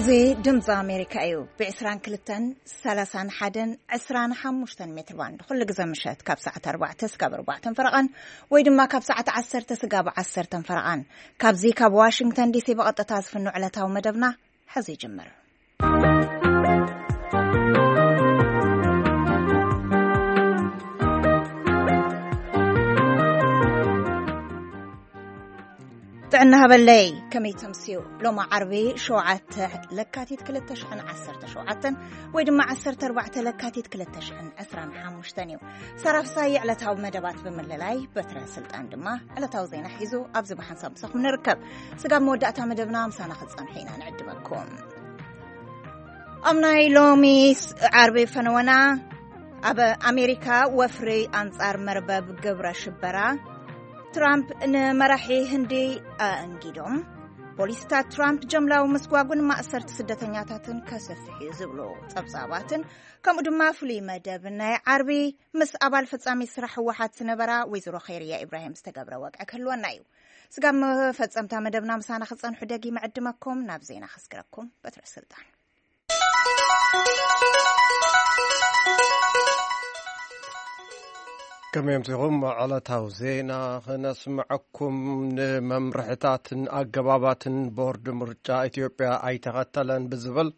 እዚ ድምፂ ኣሜሪካ እዩ። ብ22፣ 31፣ 25 ሜትር ባንድ ኩሉ ግዜ ምሸት ካብ ሰዓት ኣርባዕተ ስጋብ ኣርባዕተን ፈረቓን፣ ወይ ድማ ካብ ሰዓት ዓሰርተ ስጋብ ዓሰርተን ፈረቓን፣ ካብዚ ካብ ዋሽንግተን ዲሲ ብቐጥታ ዝፍኖ ዕለታዊ መደብና ሕዚ ይጅምር። ጥዕና ሃበለይ፣ ከመይ ተምስዩ? ሎማ ዓርቢ ሸውዓተ ለካቲት ክልተ ሽሕን ዓሰርተ ሸውዓተን ወይ ድማ ዓሰርተ ኣርባዕተ ለካቲት ክልተ ሽሕን ዕስራን ሓሙሽተን እዩ። ሰራፍሳይ ዕለታዊ መደባት ብምልላይ፣ በትረ ስልጣን ድማ ዕለታዊ ዜና ሒዙ ኣብዚ ብሓንሳብ ምሳኹም ንርከብ። ስጋብ መወዳእታ መደብና ምሳና ክትጸንሑ ኢና ንዕድመኩም። ኣብ ናይ ሎሚ ስ-፣ ዓርቢ ፈነወና፣ ኣብ ኣሜሪካ ወፍሪ ኣንጻር መርበብ ግብረ ሽበራ፣ ትራምፕ ንመራሒ ህንዲ ኣእንጊዶም፣ ፖሊስታት ትራምፕ ጀምላዊ ምስጓጉን ማእሰርቲ ስደተኛታትን ከሰፍሕ እዩ ዝብሉ ጸብጻባትን፣ ከምኡ ድማ ፍሉይ መደብ ናይ ዓርቢ ምስ ኣባል ፈጻሚ ስራሕ ህወሓት ዝነበራ ወይዘሮ ኸይርያ ኢብራሂም ዝተገብረ ወግዒ ክህልወና እዩ። ስጋብ መፈጸምታ መደብና ምሳና ክጸንሑ ደጊመ ዕድመኩም። ናብ ዜና ከስግረኩም። በትረ ስልጣን። ከመይ ኣምሲኹም? ዕለታዊ ዜና ክነስምዐኩም። ንመምርሕታትን ኣገባባትን ቦርድ ምርጫ ኢትዮጵያ ኣይተኸተለን ብዝብል፣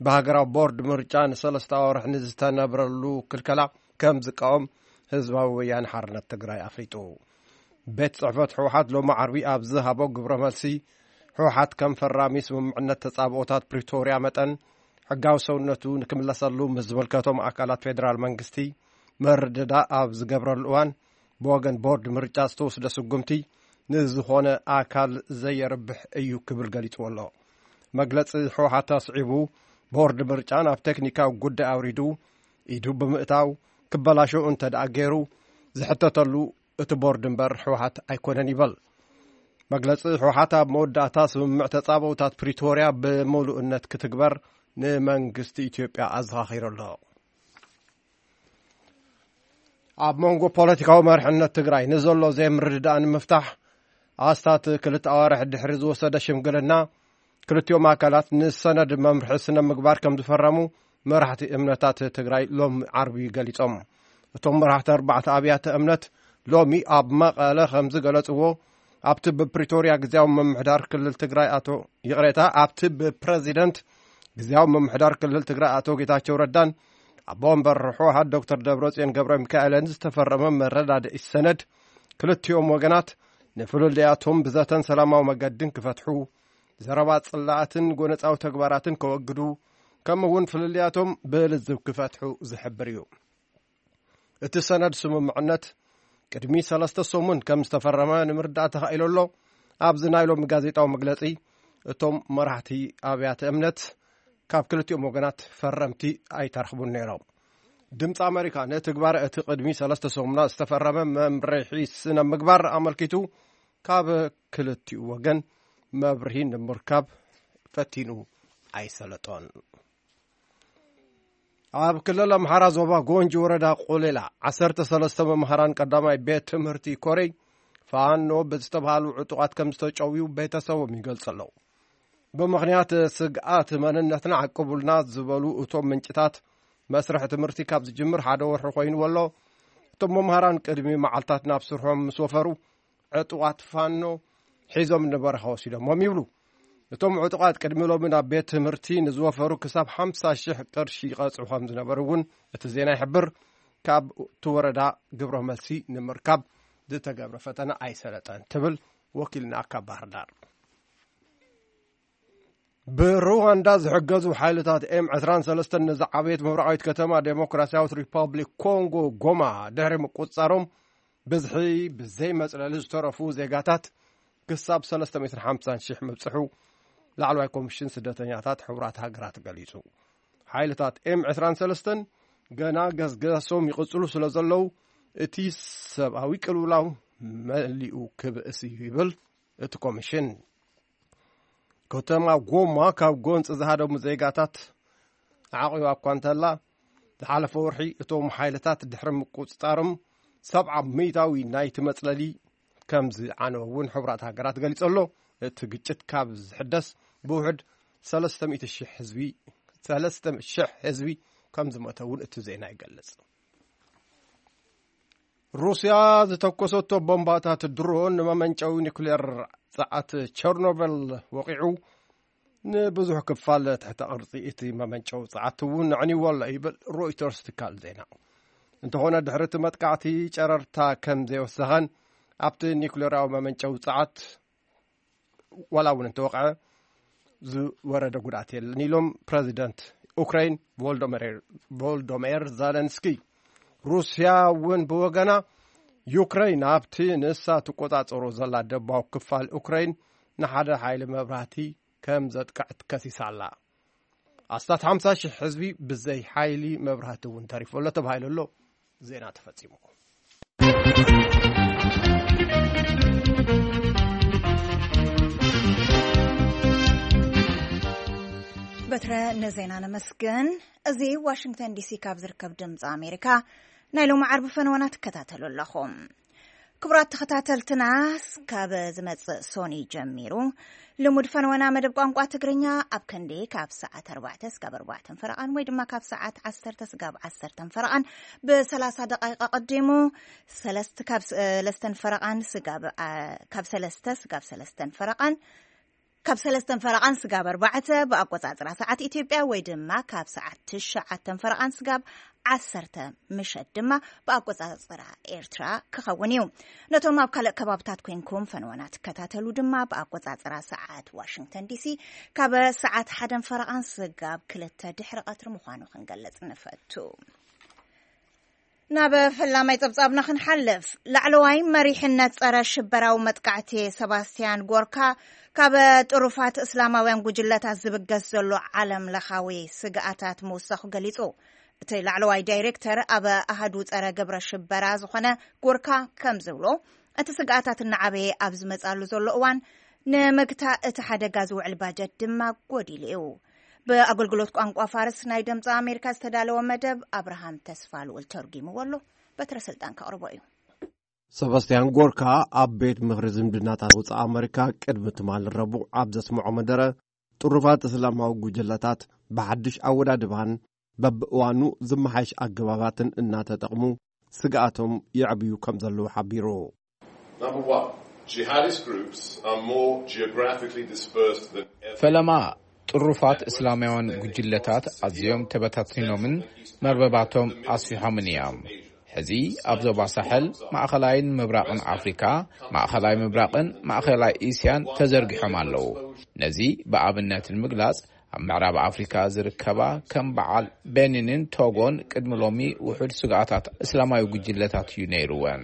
ብሃገራዊ ቦርድ ምርጫ ንሰለስተ ኣዋርሕ ንዝተነብረሉ ክልከላ ከም ዝቃወም ህዝባዊ ወያነ ሓርነት ትግራይ ኣፍሊጡ። ቤት ጽሕፈት ህወሓት ሎሚ ዓርቢ ኣብ ዝሃቦ ግብረ መልሲ፣ ህወሓት ከም ፈራሚ ስምምዕነት ተጻብኦታት ፕሪቶርያ መጠን፣ ሕጋዊ ሰውነቱ ንክምለሰሉ ምስ ዝመልከቶም ኣካላት ፌደራል መንግስቲ ምርድዳእ ኣብ ዝገብረሉ እዋን፣ ብወገን ቦርድ ምርጫ ዝተወስደ ስጉምቲ ንዝኾነ ኣካል ዘየርብሕ እዩ ክብል ገሊጽዎ ኣሎ። መግለጺ ህወሓት ኣስዒቡ፣ ቦርድ ምርጫ ናብ ቴክኒካዊ ጉዳይ ኣውሪዱ ኢዱ ብምእታው፣ ክበላሾ እንተ ደኣ ገይሩ፣ ዝሕተተሉ እቲ ቦርድ እምበር ህወሓት ኣይኮነን ይበል። መግለጺ ህወሓት ኣብ መወዳእታ ስምምዕ ተጻብኦታት ፕሪቶርያ ብምሉእነት ክትግበር ንመንግስቲ ኢትዮጵያ ኣዘኻኺሩ ኣሎ። ኣብ መንጎ ፖለቲካዊ መርሕነት ትግራይ ንዘሎ ዘይምርድዳእ ንምፍታሕ፣ ኣስታት ክልተ ኣዋርሕ ድሕሪ ዝወሰደ ሽምግልና፣ ክልቲኦም ኣካላት ንሰነድ መምርሒ ስነ ምግባር ከም ዝፈረሙ መራሕቲ እምነታት ትግራይ ሎሚ ዓርቢ ገሊጾም። እቶም መራሕቲ ኣርባዕተ ኣብያተ እምነት ሎሚ ኣብ መቐለ ከም ዝገለጽዎ፣ ኣብቲ ብፕሪቶርያ ግዝያዊ ምምሕዳር ክልል ትግራይ ኣቶ፣ ይቕሬታ፣ ኣብቲ ብፕረዚደንት ግዝያዊ ምምሕዳር ክልል ትግራይ ኣቶ ጌታቸው ረዳን ኣቦ ወንበር ህወሓት ዶክተር ደብረጽዮን ገብረ ሚካኤልን ዝተፈረመ መረዳድኢ ሰነድ፣ ክልቲኦም ወገናት ንፍልልያቶም ብዘተን ሰላማዊ መገድን ክፈትሑ፣ ዘረባ ጽላኣትን ጎነጻዊ ተግባራትን ከወግዱ፣ ከምኡ እውን ፍልልያቶም ብልዝብ ክፈትሑ ዝሕብር እዩ። እቲ ሰነድ ስምምዕነት ቅድሚ ሰለስተ ሰሙን ከም ዝተፈረመ ንምርዳእ ተኻኢሉ ኣሎ። ኣብዚ ናይ ሎሚ ጋዜጣዊ መግለጺ፣ እቶም መራሕቲ ኣብያተ እምነት ካብ ክልቲኦም ወገናት ፈረምቲ ኣይተረኽቡን ነይሮም። ድምፂ ኣሜሪካ ንትግባረ እቲ ቅድሚ ሰለስተ ሰሙናት ዝተፈረመ መምርሒ ስነ ምግባር ኣመልኪቱ ካብ ክልቲኡ ወገን መብርሂ ንምርካብ ፈቲኑ ኣይሰለጦን። ኣብ ክልል ኣምሓራ ዞባ ጎንጂ ወረዳ ቆሌላ ዓሰርተ ሰለስተ መምሃራን ቀዳማይ ቤት ትምህርቲ ኮረይ ፋኖ ብዝተባሃሉ ዕጡቓት ከም ዝተጨውዩ ቤተሰቦም ይገልጹ ኣለዉ። ብምኽንያት ስግኣት መንነትና ዓቅቡልና ዝበሉ እቶም ምንጭታት፣ መስርሕ ትምህርቲ ካብ ዝጅምር ሓደ ወርሒ ኮይኑ ኣሎ። እቶም መምሃራን ቅድሚ መዓልታት ናብ ስርሖም ምስ ወፈሩ፣ ዕጡቓት ፋኖ ሒዞም ንበረኻ ወሲዶሞም ይብሉ። እቶም ዕጡቓት ቅድሚ ሎሚ ናብ ቤት ትምህርቲ ንዝወፈሩ ክሳብ ሓምሳ ሺሕ ቅርሺ ይቐጽዑ ከም ዝነበሩ እውን እቲ ዜና ይሕብር። ካብ እቲ ወረዳ ግብረ መልሲ ንምርካብ ዝተገብረ ፈተነ ኣይሰለጠን ትብል ወኪልና ካብ ባህር ዳር። ብሩዋንዳ ዝሕገዙ ሓይልታት ኤም ዕስራን ሰለስተን ንዝዓበየት ምብራቓዊት ከተማ ዴሞክራሲያዊት ሪፐብሊክ ኮንጎ ጎማ ድሕሪ ምቁጽጻሮም፣ ብዝሒ ብዘይ መጽለሊ ዝተረፉ ዜጋታት ክሳብ ሰለስተ ሚእትን ሓምሳን ሽሕ ምብጽሑ ላዕለዋይ ኮሚሽን ስደተኛታት ሕቡራት ሃገራት ገሊጹ። ሓይልታት ኤም ዕስራን ሰለስተን ገና ገስገሶም ይቕጽሉ ስለ ዘለዉ፣ እቲ ሰብኣዊ ቅልውላው መሊኡ ክብእስ እዩ ይብል እቲ ኮሚሽን። ከተማ ጎማ ካብ ጎንፂ ዝሃደሙ ዜጋታት ዓቂባ እኳ እንተላ፣ ዝሓለፈ ወርሒ እቶም ሓይልታት ድሕሪ ምቁፅፃሮም፣ ሰብዓ ሚእታዊ ናይቲ መፅለሊ ከም ዝዓነወ እውን ሕቡራት ሃገራት ገሊፁ ኣሎ። እቲ ግጭት ካብ ዝሕደስ ብውሕድ ሰለስተ ሚእቲ ሺሕ ህዝቢ፣ ሰለስተ ሺሕ ህዝቢ ከም ዝሞተ እውን እቲ ዜና ይገልጽ። ሩስያ ዝተኮሰቶ ቦምባታት ድሮን ንመመንጨዊ ኒኩሌር ጸዓት ቸርኖቨል ወቒዑ፣ ንብዙሕ ክፋል ትሕተ ቅርጺ እቲ መመንጨዊ ጸዓት እውን ኣዕኒዎ ኣሎ ይብል ሮይተርስ ትካል ዜና። እንተኾነ ድሕሪ እቲ መጥቃዕቲ ጨረርታ ከም ዘይወሰኸን ኣብቲ ኒኩሌራዊ መመንጨዊ ጸዓት ዋላ እውን እንተወቕዐ ዝወረደ ጉድኣት የለን ኢሎም ፕረዚደንት ኡክራይን ቮልዶሜር፣ ቮልዶሜር ዘለንስኪ። ሩስያ እውን ብወገና ዩክራይን ኣብቲ ንሳ ትቆጻጸሮ ዘላ ደባዊ ክፋል ኡክራይን ንሓደ ሓይሊ መብራህቲ ከም ዘጥቅዕት ከሲሳ ኣላ። ኣስታት ሓምሳ ሺሕ ህዝቢ ብዘይ ሓይሊ መብራህቲ እውን ተሪፉ ኣሎ ተባሂሉ ኣሎ። ዜና ተፈጺሙ። በትረ፣ ንዜና ነመስግን። እዚ ዋሽንግተን ዲሲ ካብ ዝርከብ ድምፂ ኣሜሪካ ናይ ሎሚ ዓርቢ ፈነወና ትከታተሉ ኣለኹም። ክቡራት ተኸታተልትና፣ ካብ ዝመጽእ ሶኒ ጀሚሩ ልሙድ ፈነወና መደብ ቋንቋ ትግርኛ ኣብ ክንዲ ካብ ሰዓት ኣርባዕተ ስጋብ ኣርባዕተን ፈረቓን ወይ ድማ ካብ ሰዓት ዓሰርተ ስጋብ ዓሰርተን ፈረቓን ብሰላሳ ደቓይቕ ኣቐዲሙ፣ ሰለስተ፣ ካብ ሰለስተን ፈረቓን ስጋብ፣ ኣ፣ ካብ ሰለስተ ስጋብ ሰለስተን ፈረቓን፣ ካብ ሰለስተን ፈረቓን ስጋብ ኣርባዕተ ብኣቆጻጽራ ሰዓት ኢትዮጵያ ወይ ድማ ካብ ሰዓት ትሽዓተን ፈረቓን ስጋብ ዓሰርተ ምሸት ድማ ብኣቆጻጽራ ኤርትራ ክኸውን እዩ። ነቶም ኣብ ካልእ ከባብታት ኮንኩም ፈነወና ትከታተሉ ድማ ብኣቆጻጽራ ሰዓት ዋሽንግተን ዲሲ ካብ ሰዓት ሓደን ፈረቓን ስጋብ ክልተ ድሕሪ ቀትሪ ምዃኑ ክንገልጽ ንፈቱ። ናብ ፈላማይ ጸብጻብና ክንሓልፍ፣ ላዕለዋይ መሪሕነት ጸረ ሽበራዊ መጥቃዕቲ ሰባስቲያን ጎርካ ካብ ጥሩፋት እስላማውያን ጉጅለታት ዝብገስ ዘሎ ዓለም ለኻዊ ስግኣታት ምውሳኹ ገሊጹ። እቲ ላዕለዋይ ዳይሬክተር ኣብ ኣሃዱ ጸረ ግብረ ሽበራ ዝኾነ ጎርካ ከም ዝብሎ፣ እቲ ስግኣታት እናዓበየ ኣብ ዝመጻሉ ዘሎ እዋን፣ ንምግታእ እቲ ሓደጋ ዝውዕል ባጀት ድማ ጎዲሉ እዩ። ብኣገልግሎት ቋንቋ ፋርስ ናይ ድምፂ ኣሜሪካ ዝተዳለወ መደብ ኣብርሃም ተስፋ ልኡል ተርጒምዎ ኣሎ። በትረ ስልጣን ከቕርቦ እዩ። ሰባስቲያን ጎርካ ኣብ ቤት ምኽሪ ዝምድናታት ወፃኢ ኣመሪካ ቅድሚ ትማሊ ረቡዕ ኣብ ዘስምዖ መደረ፣ ጥሩፋት እስላማዊ ጉጅለታት ብሓድሽ ኣወዳድባን በብእዋኑ ዝመሓየሽ ኣገባባትን እናተጠቕሙ ስግኣቶም የዕብዩ ከም ዘለዉ ሓቢሩ። Number one, jihadist groups are more geographically dispersed than ever. ፈለማ፣ ጥሩፋት እስላማውያን ጉጅለታት ኣዝዮም ተበታቲኖምን መርበባቶም ኣስፊሖምን እዮም። ሕዚ ኣብ ዞባ ሳሕል፣ ማእኸላይን ምብራቕን ኣፍሪካ፣ ማእኸላይ ምብራቕን ማእኸላይ እስያን ተዘርጊሖም ኣለዉ። ነዚ ብኣብነት ንምግላጽ፣ ኣብ ምዕራብ ኣፍሪካ ዝርከባ ከም በዓል ቤኒንን ቶጎን ቅድሚ ሎሚ ውሑድ ስግኣታት እስላማዊ ጉጅለታት እዩ ነይርወን።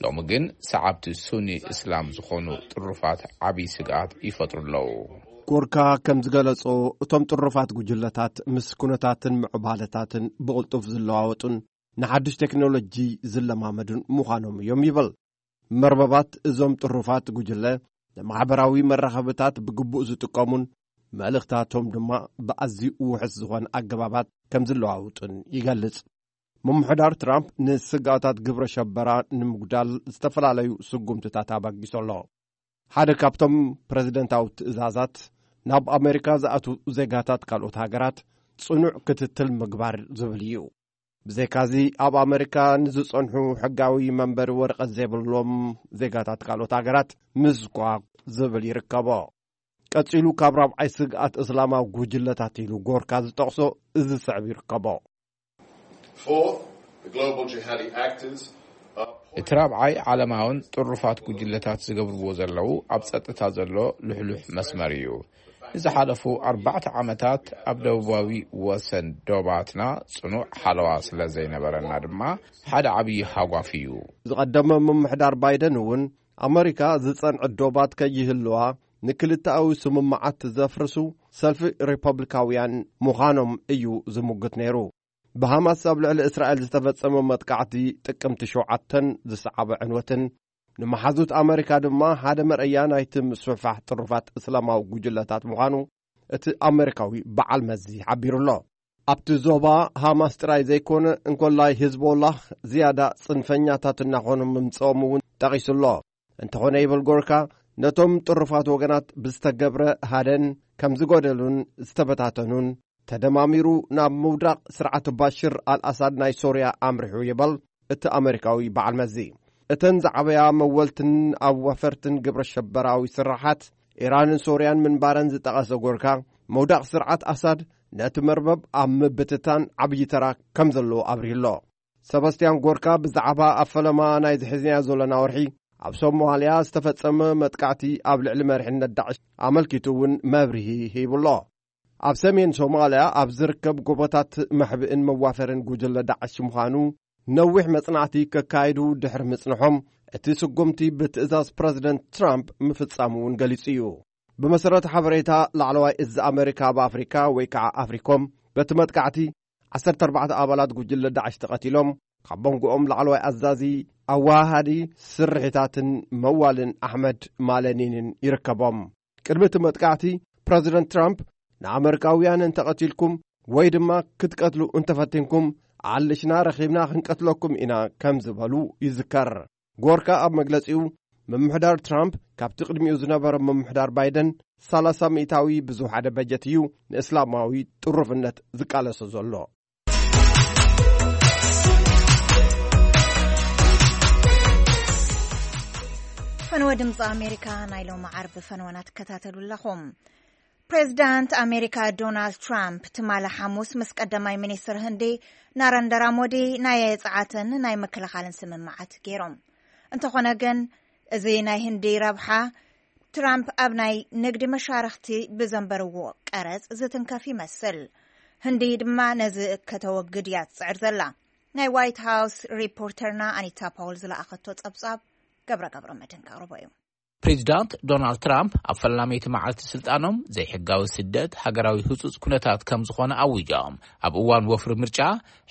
ሎሚ ግን ሰዓብቲ ሱኒ እስላም ዝኾኑ ጥሩፋት ዓብዪ ስግኣት ይፈጥሩ ኣለዉ። ጎርካ ከም ዝገለጾ፣ እቶም ጥሩፋት ጉጅለታት ምስ ኩነታትን ምዕባለታትን ብቕልጡፍ ዝለዋወጡን ንሓድሽ ቴክኖሎጂ ዝለማመዱን ምዃኖም እዮም ይብል። መርበባት እዞም ጥሩፋት ጉጅለ ንማሕበራዊ መራኸብታት ብግቡእ ዝጥቀሙን መልእኽታቶም ድማ ብኣዝዩ ውሑስ ዝኾነ ኣገባባት ከም ዝለዋውጡን ይገልጽ። ምምሕዳር ትራምፕ ንስግኣታት ግብረ ሸበራ ንምጉዳል ዝተፈላለዩ ስጉምትታት ኣበጊሱ ኣሎ። ሓደ ካብቶም ፕረዚደንታዊ ትእዛዛት፣ ናብ ኣሜሪካ ዝኣትዉ ዜጋታት ካልኦት ሃገራት ጽኑዕ ክትትል ምግባር ዝብል እዩ። ብዘይካዚ፣ ኣብ ኣሜሪካ ንዝጸንሑ ሕጋዊ መንበሪ ወረቐት ዘይብሎም ዜጋታት ካልኦት ሃገራት ምስጓግ ዝብል ይርከቦ። ቀጺሉ፣ ካብ ራብዓይ ስግኣት እስላማዊ ጉጅለታት ኢሉ ጎርካ ዝጠቕሶ እዚ ስዕብ ይርከቦ። Fourth, the global jihadi actors are እቲ ራብዓይ ዓለማውን ጥሩፋት ጉጅለታት ዝገብርዎ ዘለዉ ኣብ ጸጥታ ዘሎ ልሕሉሕ መስመር እዩ። ንዝሓለፉ ኣርባዕተ ዓመታት ኣብ ደቡባዊ ወሰን ዶባትና ጽኑዕ ሓለዋ ስለ ዘይነበረና ድማ ሓደ ዓብዪ ሃጓፍ እዩ። ዝቐደመ ምምሕዳር ባይደን እውን ኣመሪካ ዝጸንዐ ዶባት ከይህልዋ ንክልተኣዊ ስምምዓት ዘፍርሱ ሰልፊ ሪፐብሊካውያን ምዃኖም እዩ ዝሙግት ነይሩ። ብሃማስ ኣብ ልዕሊ እስራኤል ዝተፈጸመ መጥቃዕቲ ጥቅምቲ ሸውዓተን ዝሰዓበ ዕንወትን ንመሓዙት ኣመሪካ ድማ ሓደ መርኣያ ናይቲ ምስፍሕፋሕ ጥሩፋት እስላማዊ ጉጅለታት ምዃኑ እቲ ኣመሪካዊ በዓል መዚ ሓቢሩ ኣሎ። ኣብቲ ዞባ ሃማስ ጥራይ ዘይኮነ፣ እንኮላይ ሂዝቦላህ ዝያዳ ጽንፈኛታት እናኾኑ ምምጽኦም እውን ጠቒሱ ኣሎ። እንተኾነ፣ ይብል ጎርካ፣ ነቶም ጥሩፋት ወገናት ብዝተገብረ ሃደን ከም ዝጎደሉን ዝተበታተኑን፣ ተደማሚሩ ናብ ምውዳቕ ስርዓት ባሽር ኣልኣሳድ ናይ ሶርያ ኣምሪሑ ይበል እቲ ኣመሪካዊ በዓል መዚ። እተን ዝዓበያ መወልትን ኣዋፈርትን ግብረ ሸበራዊ ስራሓት ኢራንን ሶርያን ምንባረን ዝጠቐሰ ጎርካ፣ ምውዳቕ ስርዓት ኣሳድ ነቲ መርበብ ኣብ ምብትታን ዓብዪ ተራ ከም ዘለዎ ኣብሪሁ ኣሎ። ሰባስቲያን ጎርካ ብዛዕባ ኣብ ፈለማ ናይ ዝሕዝንያ ዘለና ወርሒ ኣብ ሶማልያ ዝተፈጸመ መጥቃዕቲ ኣብ ልዕሊ መሪሕነት ዳዕሽ ኣመልኪቱ እውን መብርሂ ሂቡ ኣሎ። ኣብ ሰሜን ሶማልያ ኣብ ዝርከብ ጎቦታት መሕብእን መዋፈርን ጉጅለ ዳዕሽ ምዃኑ ነዊሕ መጽናዕቲ ከካይዱ ድሕሪ ምጽንሖም፣ እቲ ስጉምቲ ብትእዛዝ ፕረዚደንት ትራምፕ ምፍጻሙ እውን ገሊጹ እዩ። ብመሰረት ሓበሬታ ላዕለዋይ እዚ ኣመሪካ ኣብ ኣፍሪካ ወይ ከዓ ኣፍሪኮም፣ በቲ መጥቃዕቲ ዓሰርተ ኣርባዕተ ኣባላት ጉጅለ ዳዕሽ ተቐቲሎም፣ ካብ መንጎኦም ላዕለዋይ ኣዛዚ ኣወሃሃዲ ስርሒታትን መዋልን ኣሕመድ ማለኒንን ይርከቦም። ቅድሚ እቲ መጥቃዕቲ ፕረዚደንት ትራምፕ ንኣመሪካውያን እንተቐቲልኩም ወይ ድማ ክትቀትሉ እንተፈቲንኩም፣ ኣልሽና ረኺብና ክንቀትለኩም ኢና ከም ዝበሉ ይዝከር። ጎርካ ኣብ መግለጺኡ፣ ምምሕዳር ትራምፕ ካብቲ ቅድሚኡ ዝነበረ ምምሕዳር ባይደን ሰላሳ ሚእታዊ ብዝወሓደ በጀት እዩ ንእስላማዊ ጥሩፍነት ዝቃለሶ ዘሎ። ፈነወ ድምፂ ኣሜሪካ ናይ ሎሚ ዓርቢ ፈነወና ትከታተሉ ኣለኹም። ፕሬዚዳንት ኣሜሪካ ዶናልድ ትራምፕ ትማሊ ሓሙስ ምስ ቀዳማይ ሚኒስትር ህንዲ ናረንደራ ሞዲ ናይ ጸዓትን ናይ ምክልኻልን ስምምዓት ገይሮም። እንተኾነ ግን፣ እዚ ናይ ህንዲ ረብሓ ትራምፕ ኣብ ናይ ንግዲ መሻርኽቲ ብዘንበርዎ ቀረጽ ዝትንከፍ ይመስል። ህንዲ ድማ ነዚ ከተወግድ እያ ትጽዕር ዘላ። ናይ ዋይት ሃውስ ሪፖርተርና ኣኒታ ፓውል ዝለኣኸቶ ጸብጻብ ገብረ ገብረ መድህን ከቕርቦ እዩ። ፕሬዚዳንት ዶናልድ ትራምፕ ኣብ ፈላመይቲ መዓልቲ ስልጣኖም ዘይሕጋዊ ስደት ሃገራዊ ህጹጽ ኩነታት ከም ዝኾነ ኣዊጆም። ኣብ እዋን ወፍሪ ምርጫ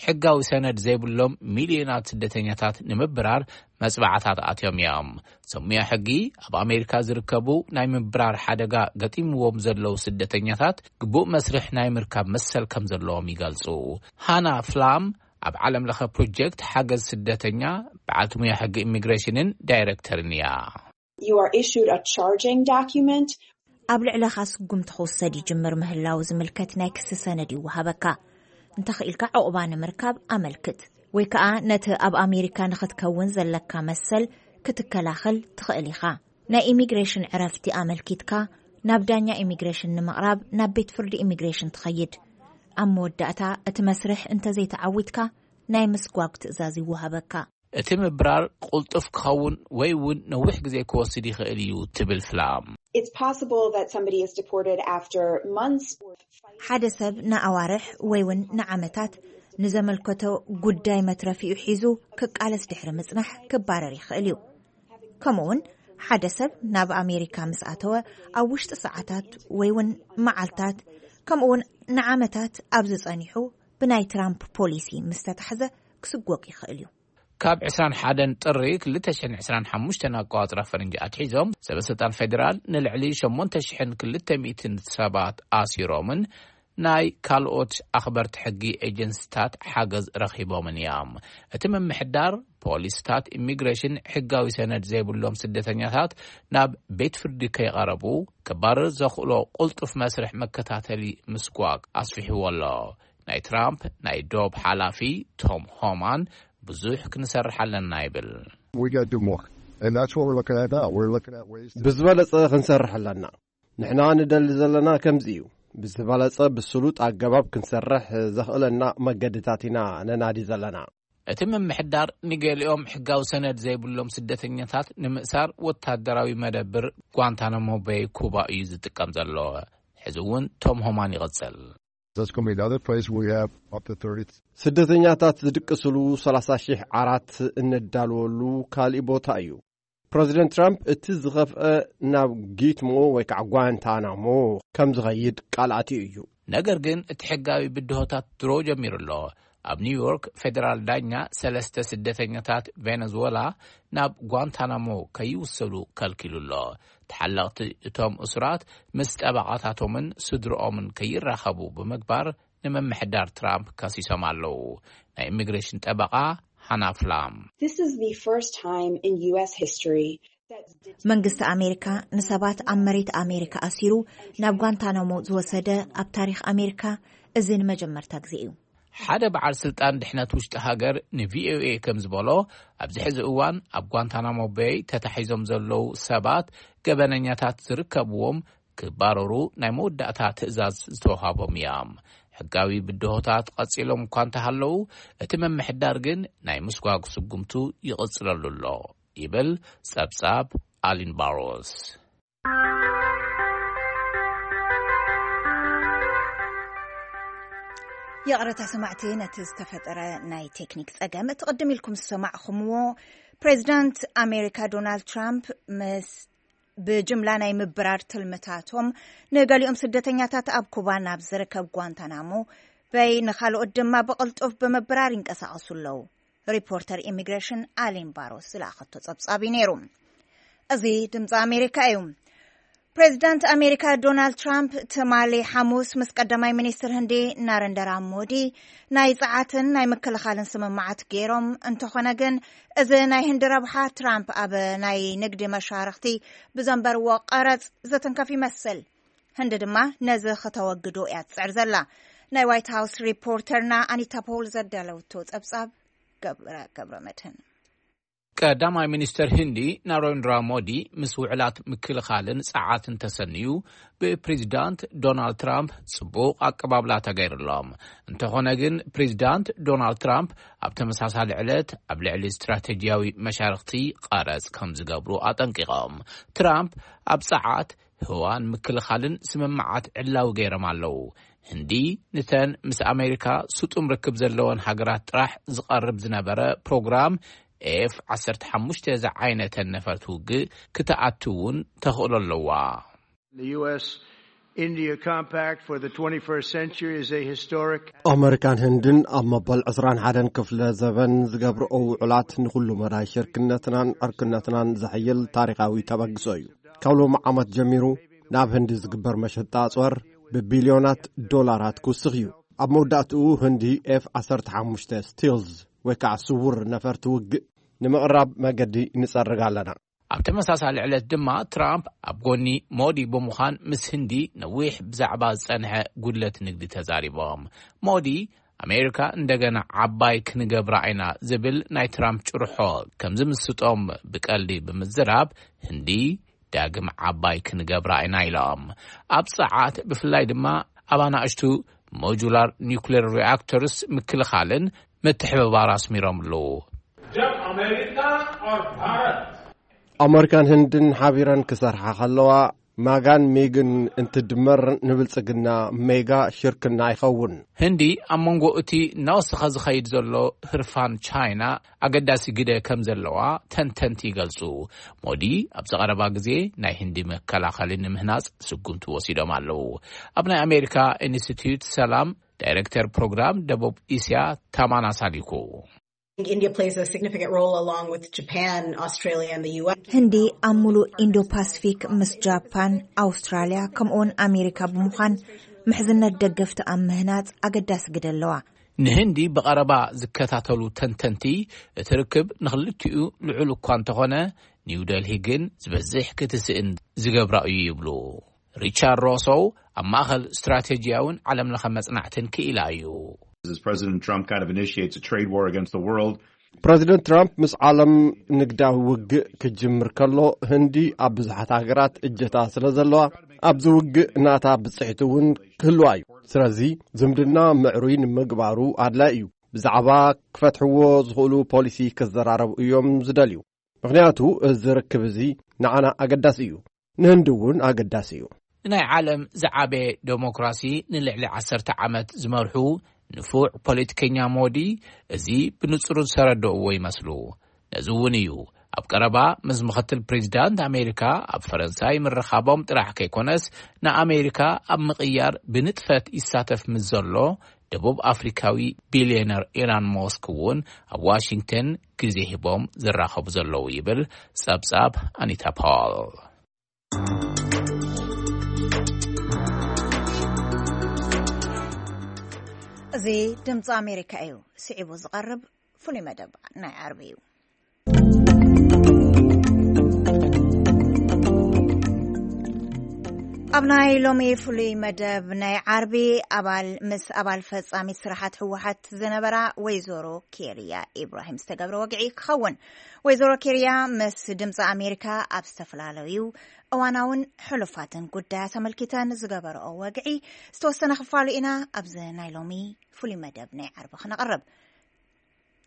ሕጋዊ ሰነድ ዘይብሎም ሚልዮናት ስደተኛታት ንምብራር መጽባዕታት ኣትዮም እዮም። ሰሙያ ሕጊ ኣብ ኣሜሪካ ዝርከቡ ናይ ምብራር ሓደጋ ገጢምዎም ዘለዉ ስደተኛታት ግቡእ መስርሕ ናይ ምርካብ መሰል ከም ዘለዎም ይገልጹ። ሃና ፍላም ኣብ ዓለም ለኸ ፕሮጀክት ሓገዝ ስደተኛ በዓልቲ ሙያ ሕጊ ኢሚግሬሽንን ዳይሬክተርን እያ። You are issued a charging document. ኣብ ልዕለኻ ስጉምቲ ክውሰድ ይጅምር ምህላው ዝምልከት ናይ ክሲ ሰነድ ይወሃበካ። እንተኽኢልካ ዕቑባ ንምርካብ ኣመልክት፣ ወይ ከኣ ነቲ ኣብ ኣሜሪካ ንኽትከውን ዘለካ መሰል ክትከላኸል ትኽእል ኢኻ። ናይ ኢሚግሬሽን ዕረፍቲ ኣመልኪትካ ናብ ዳኛ ኢሚግሬሽን ንምቕራብ ናብ ቤት ፍርዲ ኢሚግሬሽን ትኸይድ። ኣብ መወዳእታ እቲ መስርሕ እንተዘይተዓዊትካ ናይ ምስጓግ ትእዛዝ ይወሃበካ። እቲ ምብራር ቅልጡፍ ክኸውን ወይ እውን ነዊሕ ግዜ ክወስድ ይኽእል እዩ ትብል ፍላም። It's possible that somebody is deported after months or ሓደ ሰብ ንኣዋርሕ ወይ እውን ንዓመታት ንዘመልከቶ ጉዳይ መትረፊኡ ሒዙ ክቃለስ ድሕሪ ምጽናሕ ክባረር ይኽእል እዩ። ከምኡውን ሓደ ሰብ ናብ ኣሜሪካ ምስ ኣተወ ኣብ ውሽጢ ሰዓታት ወይ እውን መዓልታት ከምኡውን ንዓመታት ኣብዚ ጸኒሑ ብናይ ትራምፕ ፖሊሲ ምስ ተታሕዘ ክስጎግ ይኽእል እዩ። ካብ ዕስራን ሓደን ጥሪ ክልተ ሽሕን ዕስራን ሓሙሽተን ኣቆጻጽራ ፈረንጂ ኣትሒዞም ሰበ ስልጣን ፌደራል ንልዕሊ ሸሞንተ ሽሕን ክልተ ሚእትን ሰባት ኣሲሮምን ናይ ካልኦት ኣኽበርቲ ሕጊ ኤጀንሲታት ሓገዝ ረኺቦምን እዮም። እቲ ምምሕዳር ፖሊስታት ኢሚግሬሽን ሕጋዊ ሰነድ ዘይብሎም ስደተኛታት ናብ ቤት ፍርዲ ከይቐረቡ ክባረር ዘኽእሎ ቅልጡፍ መስርሕ መከታተሊ ምስጓግ ኣስፊሕዎ ኣሎ። ናይ ትራምፕ ናይ ዶብ ሓላፊ ቶም ሆማን ብዙሕ ክንሰርሕ ኣለና ይብል። We got to do more. And that's what we're looking at now. We're looking at ways to ብዝበለጸ ክንሰርሕ ኣለና። ንሕና ንደሊ ዘለና ከምዚ እዩ። ብዝበለጸ ብስሉጥ ኣገባብ ክንሰርሕ ዘኽእለና መገድታት ኢና ነናዲ ዘለና። እቲ ምምሕዳር ንገሊኦም ሕጋዊ ሰነድ ዘይብሎም ስደተኛታት ንምእሳር ወታደራዊ መደብር ጓንታናሞ ቤይ ኩባ እዩ ዝጥቀም ዘሎ። ሕዚ እውን ቶም ሆማን ይቕጽል። That's going to be another place where we have up to thirty. ስደተኛታት ዝድቅስሉ ሰላሳ ሺሕ ዓራት እነዳልወሉ ካልእ ቦታ እዩ። ፕረዚደንት ትራምፕ እቲ ዝኸፍአ ናብ ጊትሞ ወይ ከዓ ጓንታናሞ ከም ዝኸይድ ቃል ኣትዩ እዩ። ነገር ግን እቲ ሕጋዊ ብድሆታት ድሮ ጀሚሩ ኣሎ። ኣብ ኒውዮርክ ፌደራል ዳኛ ሰለስተ ስደተኛታት ቬነዙዌላ ናብ ጓንታናሞ ከይውሰዱ ከልኪሉ ኣሎ። ተሓለቕቲ እቶም እሱራት ምስ ጠበቓታቶምን ስድርኦምን ከይራኸቡ ብምግባር ንምምሕዳር ትራምፕ ከሲሶም ኣለዉ። ናይ ኢሚግሬሽን ጠበቓ ሃና ፍላም This is the first time in U S history መንግስቲ ኣሜሪካ ንሰባት ኣብ መሬት ኣሜሪካ ኣሲሩ ናብ ጓንታናሞ ዝወሰደ ኣብ ታሪኽ ኣሜሪካ እዚ ንመጀመርታ ግዜ እዩ። ሓደ በዓል ስልጣን ድሕነት ውሽጢ ሃገር ንቪኦኤ ከም ዝበሎ፣ ኣብዚ ሕዚ እዋን ኣብ ጓንታናሞ ቤይ ተታሒዞም ዘለዉ ሰባት ገበነኛታት ዝርከብዎም ክባረሩ ናይ መወዳእታ ትእዛዝ ዝተዋሃቦም እዮም። ሕጋዊ ብድሆታት ቀጺሎም እኳ እንተሃለዉ፣ እቲ ምምሕዳር ግን ናይ ምስጓግ ስጉምቱ ይቕጽለሉ ኣሎ ይብል ጸብጻብ ኣሊን ባሮስ። ይቕረታ ሰማዕቲ፣ ነቲ ዝተፈጠረ ናይ ቴክኒክ ጸገም። እቲ ቅድም ኢልኩም ዝሰማዕኹምዎ፣ ፕሬዚዳንት ኣሜሪካ ዶናልድ ትራምፕ ምስ ብጅምላ ናይ ምብራር ትልምታቶም፣ ንገሊኦም ስደተኛታት ኣብ ኩባ ናብ ዝርከብ ጓንታናሞ በይ፣ ንኻልኦት ድማ ብቕልጡፍ ብምብራር ይንቀሳቐሱ ኣለዉ። ሪፖርተር ኢሚግሬሽን ኣሊን ባሮስ ዝለኣኸቶ ጸብጻብ እዩ ነይሩ። እዚ ድምፂ ኣሜሪካ እዩ። ፕሬዚዳንት ኣሜሪካ ዶናልድ ትራምፕ ትማሊ ሓሙስ ምስ ቀዳማይ ሚኒስትር ህንዲ ናረንደራ ሞዲ ናይ ጸዓትን ናይ ምክልኻልን ስምምዓት ገይሮም። እንተኾነ ግን፣ እዚ ናይ ህንዲ ረብሓ ትራምፕ ኣብ ናይ ንግዲ መሻርኽቲ ብዘንበርዎ ቀረጽ ዘተንከፍ ይመስል። ህንዲ ድማ ነዚ ከተወግዶ እያ ትጽዕር ዘላ። ናይ ዋይት ሃውስ ሪፖርተርና ኣኒታ ፖል ዘዳለውቶ ጸብጻብ ገብረ፣ ገብረ መድህን። ቀዳማይ ሚኒስትር ህንዲ ናሬንድራ ሞዲ ምስ ውዕላት ምክልኻልን ጸዓትን ተሰንዩ ብፕሬዚዳንት ዶናልድ ትራምፕ ጽቡቕ ኣቀባብላ ተገይርሎም። እንተኾነ ግን፣ ፕሬዚዳንት ዶናልድ ትራምፕ ኣብ ተመሳሳሊ ዕለት ኣብ ልዕሊ ስትራቴጂያዊ መሻርኽቲ ቀረጽ ከም ዝገብሩ ኣጠንቂቖም። ትራምፕ ኣብ ጸዓት፣ ህዋን ምክልኻልን ስምምዓት ዕላዊ ገይሮም ኣለዉ። ህንዲ ንተን ምስ ኣሜሪካ ስጡም ርክብ ዘለወን ሃገራት ጥራሕ ዝቐርብ ዝነበረ ፕሮግራም ኤፍ ዓሰርተ ሓሙሽተ ዝዓይነተን ነፈርቲ ውግእ ክትኣቱ እውን ተኽእሎ ኣለዋ። The U S India Compact for the twenty-first century is a historic. ኣመሪካን ህንድን ኣብ መበል ዕስራን ሓደን ክፍለ ዘበን ዝገብርኦ ውዕላት ንኹሉ መዳይ ሽርክነትናን ዕርክነትናን ዘሕይል ታሪኻዊ ተበግሶ እዩ። ካብ ሎሚ ዓመት ጀሚሩ ናብ ህንዲ ዝግበር መሸጣ ኣጽዋር ብቢልዮናት ዶላራት ክውስኽ እዩ። ኣብ መወዳእትኡ ህንዲ ኤፍ ዓሰርተ ሓሙሽተ ስቲልዝ ወይ ከዓ ስውር ነፈርቲ ውግእ ንምቕራብ መገዲ ንጸርግ ኣለና። ኣብ ተመሳሳሊ ዕለት ድማ ትራምፕ ኣብ ጎኒ ሞዲ ብምዃን ምስ ህንዲ ነዊሕ ብዛዕባ ዝጸንሐ ጉድለት ንግዲ ተዛሪቦም። ሞዲ ኣሜሪካ እንደገና ዓባይ ክንገብራ ኢና ዝብል ናይ ትራምፕ ጭርሖ ከም ዝምስጦም ብቀልዲ ብምዝራብ፣ ህንዲ ዳግም ዓባይ ክንገብራ ኢና ኢሎም። ኣብ ጸዓት ብፍላይ ድማ ኣብ ኣናእሽቱ ሞጁላር ኒውክሌር ሪኣክተርስ ምክልኻልን ምትሕብባር ኣስሚሮምሉ። जब अमेरिका और भारत ኣመሪካን ህንድን ሓቢረን ክሰርሓ ከለዋ፣ ማጋን ሜግን እንትድመር ንብልጽግና ሜጋ ሽርክና ይኸውን። ህንዲ ኣብ መንጎ እቲ እናወሰኸ ዝኸይድ ዘሎ ህርፋን ቻይና ኣገዳሲ ግደ ከም ዘለዋ ተንተንቲ ይገልጹ። ሞዲ ኣብዚ ቀረባ ግዜ ናይ ህንዲ መከላኸሊ ንምህናጽ ስጉምቲ ወሲዶም ኣለዉ። ኣብ ናይ ኣሜሪካ ኢንስቲትዩት ሰላም ዳይሬክተር ፕሮግራም ደቡብ እስያ ታማና ሳሊኩ። India plays a significant role along with Japan, Australia, and the U S. ህንዲ ኣብ ሙሉእ ኢንዶ ፓሲፊክ ምስ ጃፓን፣ ኣውስትራልያ፣ ከምኡውን ኣሜሪካ ብምዃን ምሕዝነት ደገፍቲ ኣብ ምህናጽ ኣገዳሲ ግደ ኣለዋ። ንህንዲ ብቐረባ ዝከታተሉ ተንተንቲ፣ እቲ ርክብ ንኽልቲኡ ልዑል እኳ እንተኾነ፣ ኒው ደልሂ ግን ዝበዝሕ ክትስእን ዝገብራ እዩ ይብሉ። ሪቻርድ ሮሶው ኣብ ማእኸል ስትራቴጂያውን ዓለምለኸ መጽናዕትን ክኢላ እዩ። As President Trump kind of initiates a trade war against the world, ፕረዚደንት ትራምፕ ምስ ዓለም ንግዳዊ ውግእ ክጅምር ከሎ፣ ህንዲ ኣብ ብዙሓት ሃገራት እጀታ ስለ ዘለዋ፣ ኣብዚ ውግእ ናታ ብጽሕቲ እውን ክህልዋ እዩ። ስለዚ ዝምድና ምዕሩይ ንምግባሩ ኣድላይ እዩ። ብዛዕባ ክፈትሕዎ ዝኽእሉ ፖሊሲ ክዘራረቡ እዮም ዝደልዩ። ምኽንያቱ እዚ ርክብ እዚ ንዓና ኣገዳሲ እዩ፣ ንህንዲ እውን ኣገዳሲ እዩ። ንናይ ዓለም ዝዓበየ ዴሞክራሲ ንልዕሊ ዓሰርተ ዓመት ዝመርሑ ንፉዕ ፖለቲከኛ ሞዲ፣ እዚ ብንጹር ዝተረድእዎ ይመስሉ። ነዚ እውን እዩ ኣብ ቀረባ ምስ ምኽትል ፕሬዚዳንት ኣሜሪካ ኣብ ፈረንሳይ ምርኻቦም ጥራሕ ከይኮነስ፣ ንኣሜሪካ ኣብ ምቕያር ብንጥፈት ይሳተፍ ምስ ዘሎ ደቡብ ኣፍሪካዊ ቢልዮነር ኢላን ሞስክ እውን ኣብ ዋሽንግተን ግዜ ሂቦም ዝራኸቡ ዘለዉ ይብል ጸብጻብ ኣኒታ ፓውል። እዚ ድምፂ ኣሜሪካ እዩ። ስዒቡ ዝቐርብ ፍሉይ መደብ ናይ ዓርቢ እዩ። ኣብ ናይ ሎሚ ፍሉይ መደብ ናይ ዓርቢ ኣባል ምስ ኣባል ፈጻሚት ስራሓት ህወሓት ዝነበራ ወይዘሮ ኬርያ ኢብራሂም ዝተገብረ ወግዒ ክኸውን። ወይዘሮ ኬርያ ምስ ድምፂ ኣሜሪካ ኣብ ዝተፈላለዩ እዋናውን ሕሉፋትን ጉዳያት ኣመልኪተን ዝገበረኦ ወግዒ ዝተወሰነ ክፋሉ ኢና ኣብዚ ናይ ሎሚ ፍሉይ መደብ ናይ ዓርቢ ክነቕርብ።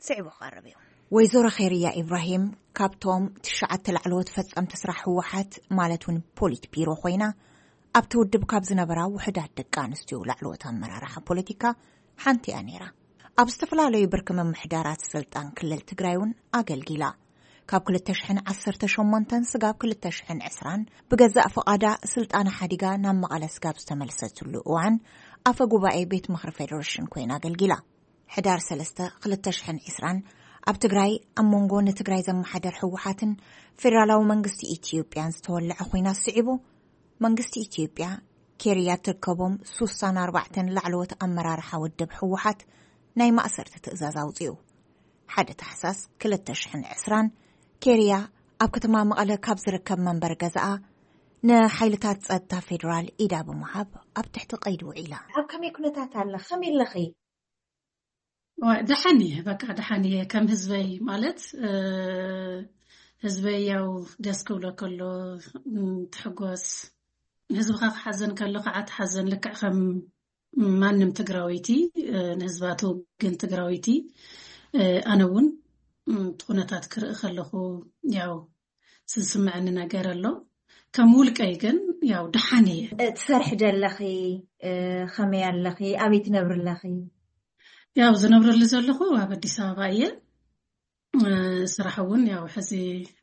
ስዒቡ ክቐርብ እዩ። ወይዘሮ ኸይርያ ኢብራሂም ካብቶም ትሽዓተ ላዕለዎት ፈጸምቲ ስራሕ ህወሓት ማለት እውን ፖሊት ቢሮ ኮይና ኣብቲ ውድብ ካብ ዝነበራ ውሕዳት ደቂ ኣንስትዮ ላዕለዎት ኣመራርሓ ፖለቲካ ሓንቲ እያ ነይራ። ኣብ ዝተፈላለዩ ብርኪ ምምሕዳራት ስልጣን ክልል ትግራይ እውን ኣገልጊላ። ካብ ክልተ ሽሕን ዓሰርተ ሸሞንተን ስጋብ ክልተ ሽሕን ዕስራን ብገዛእ ፍቓዳ ስልጣና ሓዲጋ ናብ መቐለ ስጋብ ዝተመልሰትሉ እዋን ኣፈ ጉባኤ ቤት ምኽሪ ፌዴሬሽን ኮይና ኣገልጊላ። ሕዳር ሰለስተ ክልተ ሽሕን ዕስራን ኣብ ትግራይ ኣብ መንጎ ንትግራይ ዘመሓደር ህወሓትን ፌዴራላዊ መንግስቲ ኢትዮጵያን ዝተወለዐ ኹናት ስዒቡ፣ መንግስቲ ኢትዮጵያ ኬርያ ትርከቦም ሱሳን ኣርባዕተን ላዕለዎት ኣመራርሓ ውድብ ህወሓት ናይ ማእሰርቲ ትእዛዝ ኣውፂኡ። ሓደ ታሕሳስ ክልተ ሽሕን ዕስራን ኬርያ ኣብ ከተማ መቐለ ካብ ዝርከብ መንበሪ ገዛኣ ንሓይልታት ጸጥታ ፌዴራል ኢዳ ብምሃብ ኣብ ትሕቲ ቀይዲ ውዒላ። ኣብ ከመይ ኩነታት ኣለ? ከመይ ኣለኺ? ዋ፣ ደሓን እየ፣ በቃ ደሓን እየ። ከም ህዝበይ ማለት፣ እ፣ ህዝበይ ያው ደስ ክብሎ ከሎ፣ ም፣ ትሕጎስ። ህዝብኻ ክሓዘን ከሎ ከዓ ትሓዘን፣ ልክዕ ከም ማንም ትግራወይቲ፣ እ፣ ንህዝባ ትውግን ትግራወይቲ። እ፣ ኣነ እውን፣ ም፣ እቲ ኩነታት ክርኢ ከለኹ ያው ዝስምዐኒ ነገር ኣሎ። ከም ውልቀይ ግን ያው ደሓን እየ። እ፣ ትሰርሒ ዶ ኣለኺ? እ፣ ከመይ ኣለኺ? ኣበይ ትነብሪ ኣለኺ? ያው ዝነብረሉ ዘለኹ ኣብ ኣዲስ ኣበባ እየ። እ፣ ስራሕ እውን ያው ሕዚ፣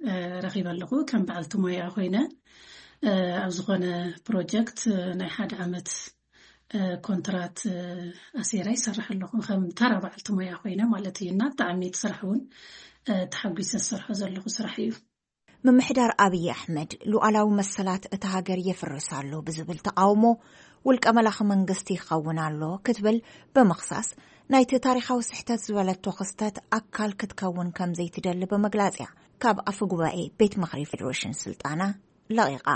እ፣ ረኺበ ኣለኹ ከም በዓልቲ ሞያ ኮይነ። እ፣ ኣብ ዝኾነ ፕሮጀክት፣ እ፣ ናይ ሓደ ዓመት፣ እ፣ ኮንትራት፣ እ፣ ኣሲረ ይሰርሕ ኣለኹ ከም ተራ በዓልቲ ሞያ ኮይነ ማለት እዩ። እና ብጣዕሚ እቲ ስራሕ እውን፣ እ፣ ተሓጒሰ ዝሰርሖ ዘለኹ ስራሕ እዩ። ምምሕዳር ኣብይ ኣሕመድ ሉዓላዊ መሰላት እታ ሃገር የፍርስ ኣሎ ብዝብል ተቓውሞ ውልቀ መላኺ መንግስቲ ይኸውን ኣሎ ክትብል ብምኽሳስ፣ ናይቲ ታሪኻዊ ስሕተት ዝበለቶ ክስተት ኣካል ክትከውን ከም ዘይትደሊ ብምግላጽ እያ ካብ ኣፈ ጉባኤ ቤት ምኽሪ ፌዴሬሽን ስልጣና ለቒቓ።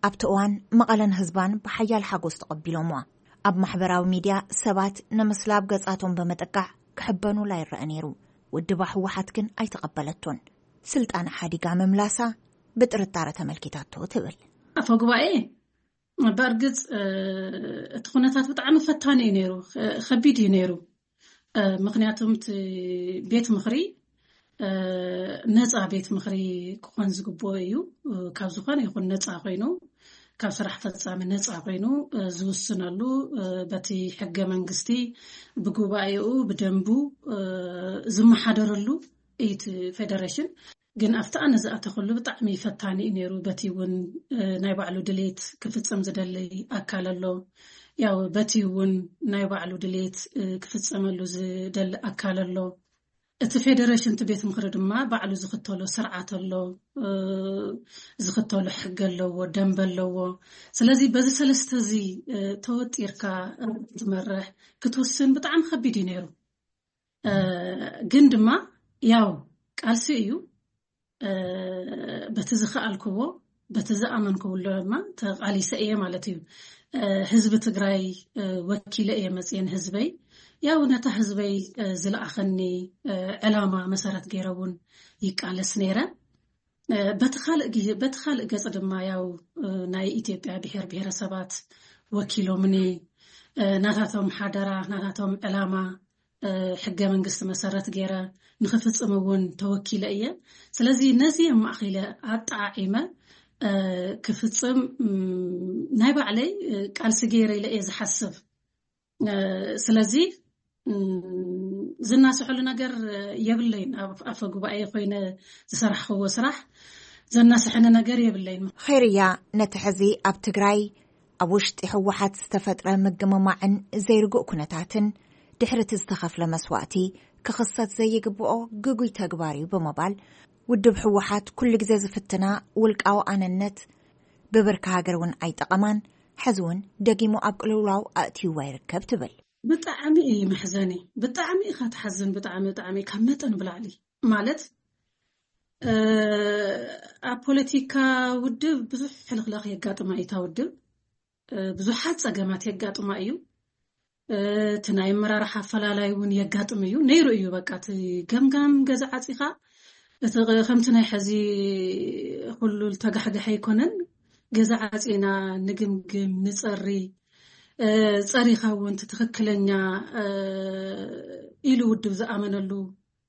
ኣብቲ እዋን መቐለን ህዝባን ብሓያል ሓጎስ ተቐቢሎምዋ። ኣብ ማሕበራዊ ሚድያ ሰባት ንምስላብ ገጻቶም ብምጥቃዕ ክሕበኑላ ይረአ ነይሩ። ውድባ ህወሓት ግን ኣይተቐበለቶን። ስልጣን ሓዲጋ ምምላሳ ብጥርጣረ ተመልኪታቶ ትብል። ኣፈ ጉባኤ፣ በእርግጽ፣ እ፣ እቲ ኩነታት ብጣዕሚ ፈታኒ እዩ ነይሩ፣ ኸ-፣ ከቢድ እዩ ነይሩ። እ፣ ምኽንያቱም እቲ ቤት ምኽሪ፣ እ፣ ነጻ ቤት ምኽሪ ክኾን ዝግብኦ እዩ። እ፣ ካብ ዝኾነ ይኹን ነጻ ኮይኑ፣ ካብ ስራሕ ፈጻሚ ነጻ ኮይኑ፣ እ፣ ዝውስነሉ፣ እ፣ በቲ ሕገ መንግስቲ፣ ብጉባኤኡ፣ ብደንቡ፣ እ፣ ዝመሓደረሉ እዩ እቲ ፌደሬሽን። ግን ኣብቲ ኣነ ዝኣተኸሉ ብጣዕሚ ፈታኒ እዩ ነይሩ። በቲ እውን፣ እ፣ ናይ ባዕሉ ድሌት ክፍጽም ዝደሊ ኣካል ኣሎ። ያው በቲ እውን ናይ ባዕሉ ድሌት፣ እ፣ ክፍጸመሉ ዝደሊ ኣካል ኣሎ። እቲ ፌደሬሽን፣ እቲ ቤት ምኽሪ ድማ ባዕሉ ዝኽተሎ ስርዓት ኣሎ፣ እ፣ ዝኽተሎ ሕጊ ኣለዎ፣ ደንበ ኣለዎ። ስለዚ በዚ ሰለስተ እዚ፣ እ፣ ተወጢርካ ክትመርሕ፣ ክትውስን ብጣዕሚ ከቢድ እዩ ነይሩ። እ፣ ግን ድማ ያው ቃልሲ እዩ። እ፣ በቲ ዝኸኣልክዎ፣ በቲ ዝኣመንክዎ ድማ ተቓሊሰ እየ ማለት እዩ። እ፣ ህዝቢ ትግራይ፣ እ፣ ወኪለ እየ መፅየ ንህዝበይ። ያው ነታ ህዝበይ፣ እ፣ ዝለኣኸኒ፣ እ፣ ዕላማ መሰረት ገይረ እውን ይቃለስ ነይረ። እ፣ በቲ ካልእ ግዜ፣ በቲ ካልእ ገፅ ድማ ያው፣ እ፣ ናይ ኢትዮጵያ ብሔር ብሔረሰባት ወኪሎምኒ፣ እ፣ ናታቶም ሓደራ፣ ናታቶም ዕላማ፣ እ፣ ሕገ መንግስቲ መሰረት ገይረ ንኽፍጽም እውን ተወኪለ እየ። ስለዚ ነዚ ኣማእኺለ ኣጠዓዒመ፣ እ፣ ክፍጽም፣ ም፣ ናይ ባዕለይ፣ እ፣ ቃልሲ ገይረ ኢለ እየ ዝሓስብ። እ፣ ስለዚ፣ ም፣ ዝናስሐሉ ነገር የብለይን። ኣብ ኣፈ ጉባኤ ኮይነ ዝሰራሕክዎ ስራሕ ዘናስሐኒ ነገር የብለይን። ኸይርያ፣ ነቲ ሕዚ ኣብ ትግራይ ኣብ ውሽጢ ህወሓት ዝተፈጥረ ምግምማዕን ዘይርጉእ ኩነታትን ድሕሪ እቲ ዝተኸፍለ መስዋእቲ ክኽሰት ዘይግብኦ ግጉይ ተግባር እዩ ብምባል፣ ውድብ ህወሓት ኩሉ ግዜ ዝፍትና ውልቃዊ ኣነነት ብብርኪ ሃገር እውን ኣይጠቐማን፣ ሕዚ እውን ደጊሙ ኣብ ቅልውላው ኣእትይዋ ይርከብ ትብል። ብጣዕሚ እዩ መሕዘኒ፣ ብጣዕሚ ኢኻ ትሓዝን፣ ብጣዕሚ፣ ብጣዕሚ ካብ መጠን ብላዕሊ ማለት፣ እ፣ ኣብ ፖለቲካ ውድብ ብዙሕ ሕልኽላኽ የጋጥማ እዩ እታ ውድብ። ብዙሓት ጸገማት የጋጥማ እዩ። እቲ ናይ ኣመራርሓ ኣፈላላይ እውን የጋጥም እዩ፣ ነይሩ እዩ። በቃ እቲ ገምጋም ገዛ ዓጺኻ፣ እቲ ከምቲ ናይ ሕዚ ኩሉ ዝተጋሕገሐ ኣይኮነን። ገዛ ዓጺና ንግምግም፣ ንጸሪ፣ ጸሪኻ እውን እቲ ትኽክለኛ ኢሉ ውድብ ዝኣመነሉ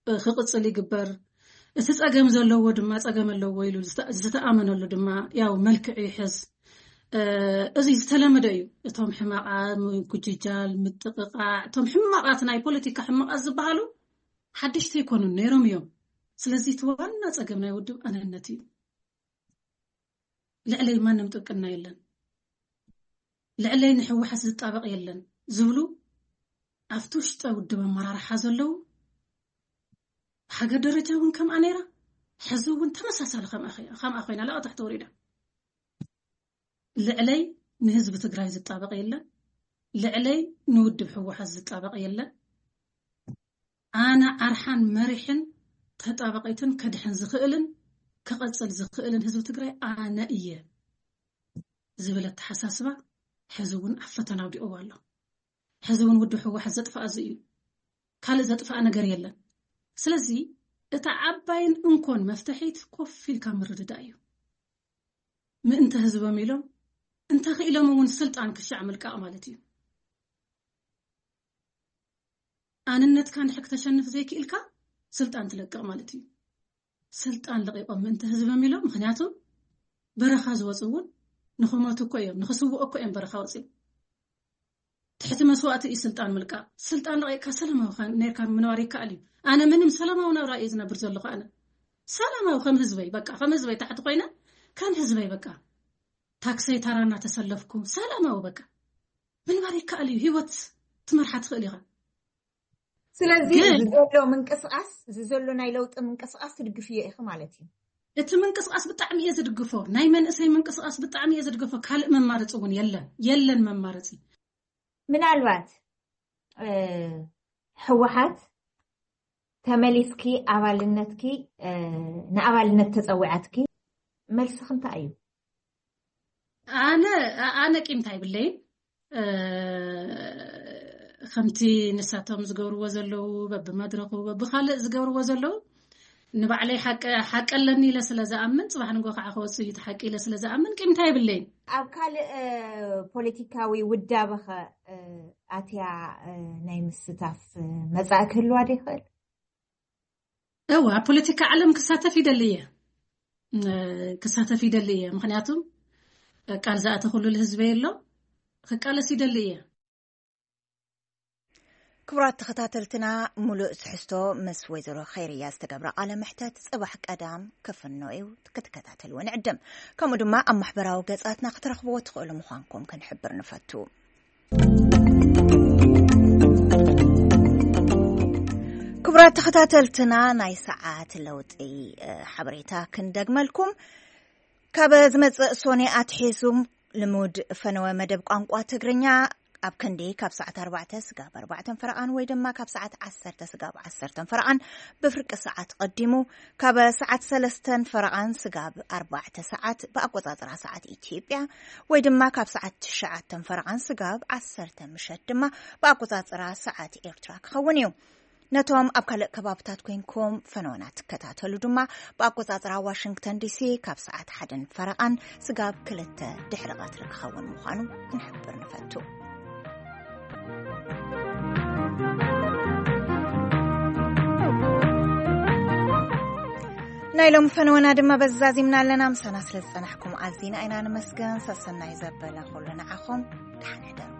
ክቕጽል ይግበር። እቲ ጸገም ዘለዎ ድማ ጸገም ኣለዎ ኢሉ ዝተኣመነሉ ድማ ያው መልክዕ ይሕዝ። እዚ ዝተለመደ እዩ። እቶም ሕማቓት፣ ምጉጅጃል፣ ምጥቕቓዕ፣ እቶም ሕማቓት፣ ናይ ፖለቲካ ሕማቓት ዝበሃሉ ሓደሽቲ ኣይኮኑን፣ ነይሮም እዮም። ስለዚ እቲ ዋና ጸገም ናይ ውድብ ኣነነት እዩ። ልዕለይ ማንም ጥብቅና የለን፣ ልዕለይ ንሕወሓት ዝጣበቕ የለን ዝብሉ ኣብቲ ውሽጠ ውድብ ኣመራርሓ ዘለዉ፣ ሃገር ደረጃ እውን ከምኣ ነይራ፣ ሕዚ እውን ተመሳሳሊ ከምኣ ኮይና ለኣ ታሕቲ ወሪዳ። ልዕለይ ንህዝቢ ትግራይ ዝጣበቕ የለን፣ ልዕለይ ንውድብ ሕወሓት ዝጣበቕ የለን። ኣነ ኣርሓን መሪሕን ተጣባቒትን ከድሕን ዝኽእልን ክቐጽል ዝኽእልን ህዝቢ ትግራይ ኣነ እየ ዝብል ኣተሓሳስባ ሕዚ እውን ኣብ ፈተና ኣውዲቕዎ ኣሎ። ሕዚ እውን ውድብ ህወሓት ዘጥፍኣ እዚ እዩ። ካልእ ዘጥፍኣ ነገር የለን። ስለዚ እታ ዓባይን እንኮን መፍትሒት ኮፍ ኢልካ ምርድዳእ እዩ። ምእንተ ህዝቦም ኢሎም፣ እንተኽኢሎም እውን ስልጣን ክሻዕ ምልቃቕ ማለት እዩ። ኣንነትካ እንድሕር ክተሸንፍ ዘይክኢልካ ስልጣን ትለቅቕ ማለት እዩ። ስልጣን ለቒቖም ምእንተ ህዝቦም ኢሎም፣ ምኽንያቱ በረኻ ዝወፁ እውን ንኽሞቱ እኮ እዮም፣ ንኽስውኡ እኮ እዮም በረኻ ወፂኦም። ትሕቲ መስዋእቲ እዩ ስልጣን ምልቃቕ። ስልጣን ለቒቕካ ሰላማዊ ኸ-፣ ነርካ ምንባር ይከኣል እዩ። ኣነ ምንም ሰላማዊ ናብራ እየ ዝነብር ዘለኹ። ኣነ ሰላማዊ ከም ህዝበይ፣ በቃ ከም ህዝበይ ታሕቲ ኮይነ ከም ህዝበይ በቃ ታክሰይ ታራ እናተሰለፍኩ ሰላማዊ በቃ ምንባር ይከኣል እዩ። ህይወት ትመርሓ ትኽእል ኢኻ። ስለዚ ግን እዚ ዘሎ ምንቅስቃስ፣ እዚ ዘሎ ናይ ለውጢ ምንቅስቃስ ትድግፍዮ ኢኺ ማለት እዩ። እቲ ምንቅስቃስ ብጣዕሚ እየ ዝድግፎ። ናይ መንእሰይ ምንቅስቃስ ብጣዕሚ እየ ዝድግፎ። ካልእ መማረፂ እውን የለን፣ የለን መማረፂ። ምናልባት፣ እ፣ ህወሓት ተመሊስኪ ኣባልነትኪ፣ እ፣ ንኣባልነት ተጸዊዓትኪ መልስኺ እንታይ እዩ? ኣነ፣ ኣነ ቂምታ ኣይብለይን። እ፣ ከምቲ ንሳቶም ዝገብርዎ ዘለዉ፣ በብመድረኹ፣ በብኻልእ ዝገብርዎ ዘለዉ፣ ንባዕለይ ሓቂ፣ ሓቂ ኣለኒ ኢለ ስለ ዝኣምን፣ ጽባሕ ንግሆ ከዓ ክወጽእ እዩ እቲ ሓቂ ኢለ ስለ ዝኣምን፣ ቂምታ የብለይን። ኣብ ካልእ፣ እ፣ ፖለቲካዊ ውዳበኸ፣ እ፣ ኣትያ፣ እ፣ ናይ ምስታፍ፣ እ፣ መጻኢ ክህልዋ ዶ ይኽእል? እወ፣ ኣብ ፖለቲካ ዓለም ክሳተፍ ይደሊ እየ። እ፣ ክሳተፍ ይደሊ እየ። ምኽንያቱም፣ እ፣ ቃል ዝኣተኹሉ ህዝበይ ኣሎ፣ ክቃለስ ይደሊ እየ። ክቡራት ተኸታተልትና፣ ሙሉእ ትሕዝቶ ምስ ወይዘሮ ኸይርያ ዝተገብረ ቃለ መሕተት ጽባሕ ቀዳም ክፍኖ እዩ፣ ክትከታተልዎ ንዕድም። ከምኡ ድማ ኣብ ማሕበራዊ ገጻትና ክትረኽብዎ ትኽእሉ ምዃንኩም ክንሕብር ንፈቱ። ክቡራት ተኸታተልትና፣ ናይ ሰዓት ለውጢ፣ እ፣ ሓበሬታ ክንደግመልኩም። ካብ ዝመጽእ ሶኔ ኣትሒዙ ልሙድ ፈነወ መደብ ቋንቋ ትግርኛ ኣብ ክንዲ ካብ ሰዓት ኣርባዕተ ስጋብ ኣርባዕተን ፈረቓን ወይ ድማ ካብ ሰዓት ዓሰርተ ስጋብ ዓሰርተን ፈረቓን ብፍርቂ ሰዓት ቀዲሙ፣ ካብ ሰዓት ሰለስተን ፈረቓን ስጋብ ኣርባዕተ ሰዓት ብኣቆጻጽራ ሰዓት ኢትዮጵያ ወይ ድማ ካብ ሰዓት ትሽዓተን ፈረቓን ስጋብ ዓሰርተ ምሸት ድማ ብኣቆጻጽራ ሰዓት ኤርትራ ክኸውን እዩ። ነቶም ኣብ ካልእ ከባብታት ኮይንኩም ፈነወና ትከታተሉ ድማ ብኣቆጻጽራ ዋሽንግተን ዲሲ ካብ ሰዓት ሓደን ፈረቓን ስጋብ ክልተ ድሕሪ ቀትሪ ክኸውን ምዃኑ ክንሕብር ንፈቱ። ናይ ሎም ፈነወና ድማ በዚ ዛዚምና ኣለና። ምሳና ስለ ዝጸናሕኩም ኣዚና ኢና ንመስገን። ሰሰናይ ዘበለ ኩሉ ንዓኹም። ደሓን ሕደሩ።